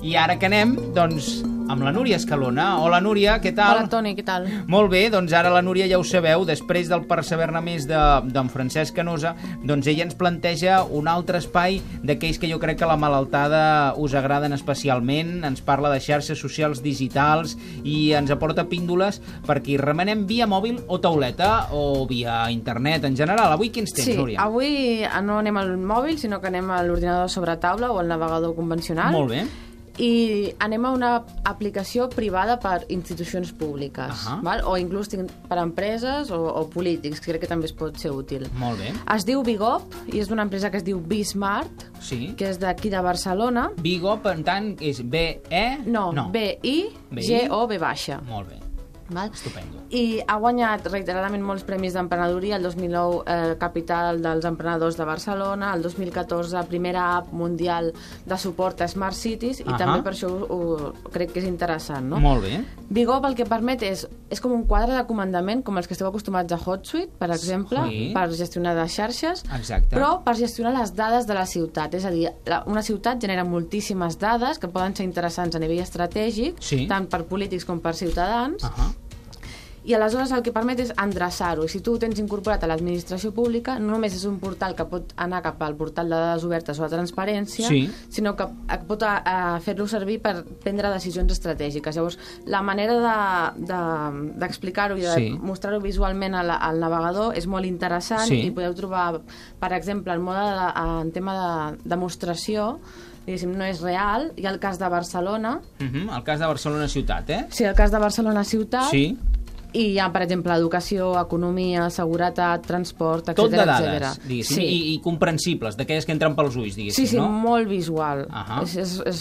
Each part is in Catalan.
I ara que anem, doncs, amb la Núria Escalona. Hola, Núria, què tal? Hola, Toni, què tal? Molt bé, doncs ara la Núria ja ho sabeu, després del Perseverar més d'en Francesc Canosa, doncs ella ens planteja un altre espai d'aquells que jo crec que la malaltada us agraden especialment. Ens parla de xarxes socials digitals i ens aporta píndoles perquè hi remenem via mòbil o tauleta o via internet en general. Avui quins tens, Núria? Sí, avui no anem al mòbil, sinó que anem a l'ordinador sobre taula o al navegador convencional. Molt bé. I anem a una aplicació privada per institucions públiques, val? O inclús per empreses o polítics, que crec que també es pot ser útil. Molt bé. Es diu Bigop i és d'una empresa que es diu Bismart, Sí. que és d'aquí de Barcelona. Bigop, en tant, és B-E? No. B-I-G-O-B baixa. Molt bé. Val? Estupendo. I ha guanyat reiteradament molts premis d'emprenedoria. El 2009 capital dels emprenedors de Barcelona, el 2014 primera app mundial de suport a Smart Cities i també per això crec que és interessant, no? Molt bé. Bigop el que permet és com un quadre de comandament, com els que esteu acostumats a HotSuite, per exemple, per gestionar les xarxes, però per gestionar les dades de la ciutat. És a dir, una ciutat genera moltíssimes dades que poden ser interessants a nivell estratègic, tant per polítics com per ciutadans, i aleshores el que permet és endreçar-ho. I si tu ho tens incorporat a l'administració pública, no només és un portal que pot anar cap al portal de dades obertes o a transparència, sinó que pot fer-lo servir per prendre decisions estratègiques. Llavors, la manera d'explicar-ho i de mostrar-ho visualment al navegador és molt interessant i podeu trobar, per exemple, el mode en tema de demostració, diguéssim, no és real. Hi ha el cas de Barcelona. El cas de Barcelona ciutat, eh? Sí, el cas de Barcelona ciutat. Sí. I hi ha, per exemple, educació, economia, seguretat, transport, etc. Tot de dades, diguéssim, i comprensibles, d'aquelles que entren pels ulls, diguéssim, no? Sí, molt visual.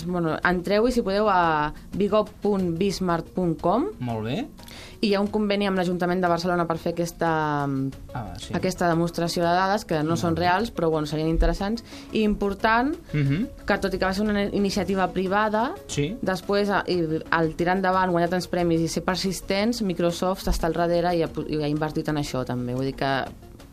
Bueno, entreu i si podeu a bigop.bismart.com. Molt bé. I hi ha un conveni amb l'Ajuntament de Barcelona per fer aquesta demostració de dades, que no són reals, però bueno, serien interessants. I important, que tot i que va ser una iniciativa privada, després, al tirar endavant, guanyar tants premis i ser persistents, Microsoft està al darrere i ha invertit en això també. Vull dir que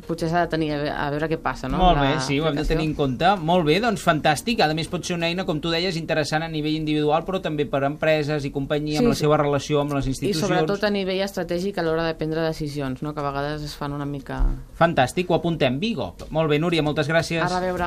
potser s'ha de tenir a veure què passa, no? Molt bé, sí, ho hem de tenir en compte. Molt bé, doncs fantàstic. A més pot ser una eina, com tu deies, interessant a nivell individual, però també per empreses i companyia, amb la seva relació amb les institucions. I sobretot a nivell estratègic a l'hora de prendre decisions, no? Que a vegades es fan una mica... Fantàstic, ho apuntem, Bigop. Molt bé, Núria, moltes gràcies. A reveure.